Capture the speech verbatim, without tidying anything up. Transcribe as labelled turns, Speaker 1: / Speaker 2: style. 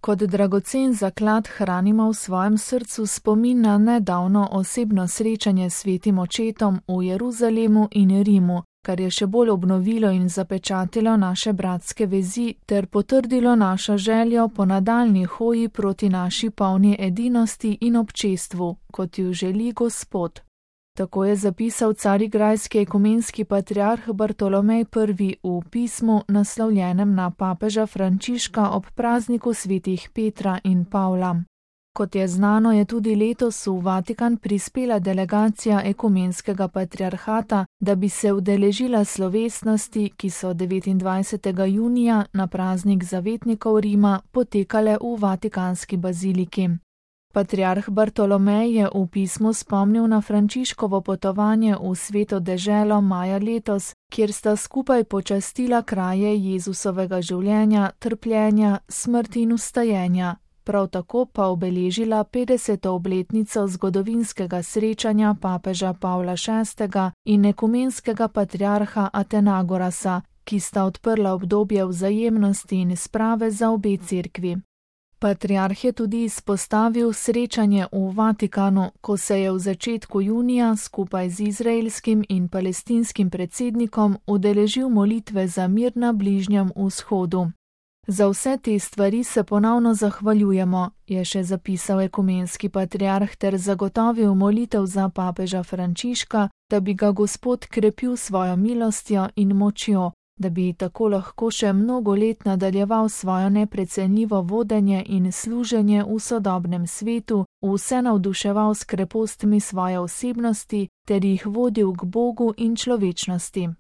Speaker 1: Kot dragocen zaklad hranimo v svojem srcu spomin na nedavno osebno srečanje s svetim očetom v Jeruzalemu in Rimu, kar je še bolj obnovilo in zapečatilo naše bratske vezi ter potrdilo našo željo po nadaljnji hoji proti naši polni edinosti in občestvu, kot ju želi Gospod. Tako je zapisal carigrajski ekumenski patriarh Bartolomej prvi v pismu, naslovljenem na papeža Frančiška ob prazniku svetih Petra in Pavla. Kot je znano, je tudi letos v Vatikan prispela delegacija ekumenskega patriarhata, da bi se udeležila slovesnosti, ki so devetindvajsetega junija na praznik zavetnikov Rima potekale v Vatikanski baziliki. Patriarh Bartolomej je v pismu spomnil na Frančiškovo potovanje v sveto deželo maja letos, kjer sta skupaj počastila kraje Jezusovega življenja, trpljenja, smrti in vstajenja, prav tako pa obeležila petdeseto obletnico zgodovinskega srečanja papeža Pavla šestega in ekumenskega patriarha Atenagorasa, ki sta odprla obdobje vzajemnosti in sprave za obe cerkvi. Patriarh je tudi izpostavil srečanje v Vatikanu, ko se je v začetku junija skupaj z izraelskim in palestinskim predsednikom udeležil molitve za mir na Bližnjem vzhodu. Za vse te stvari se ponovno zahvaljujemo, je še zapisal ekumenski patriarh ter zagotovil molitev za papeža Frančiška, da bi ga Gospod krepil svojo milostjo in močjo, da bi tako lahko še mnogo let nadaljeval svojo neprecenljivo vodenje in služenje v sodobnem svetu, vse navduševal s krepostmi svoje osebnosti ter jih vodil k Bogu in človečnosti.